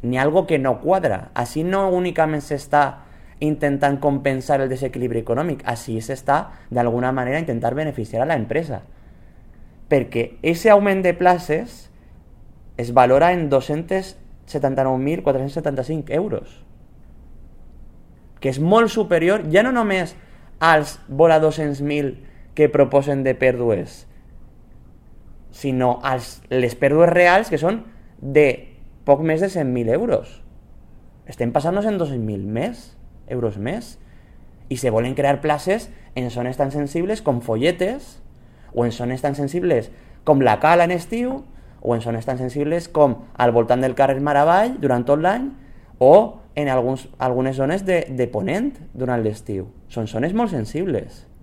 N'hi ha algo que no quadra. Així no únicament s'està intentant compensar el desequilibri econòmic, així s'està d'alguna manera intentar beneficiar a l'empresa, perquè aquest augment de places es valora en 279.475 euros, que és molt superior ja no només als vora 200.000 que proposen de pèrdues, sinó a les pèrdues reals, que són de poc més de 100.000 euros. Estem passant-nos en 200.000 euros més, i se volen crear places en zones tan sensibles com Folletes, o en zones tan sensibles com la Cala en estiu, o en zones tan sensibles com al voltant del carrer Maravall durant tot l'any, o en algunes zones de Ponent durant l'estiu. Són zones molt sensibles.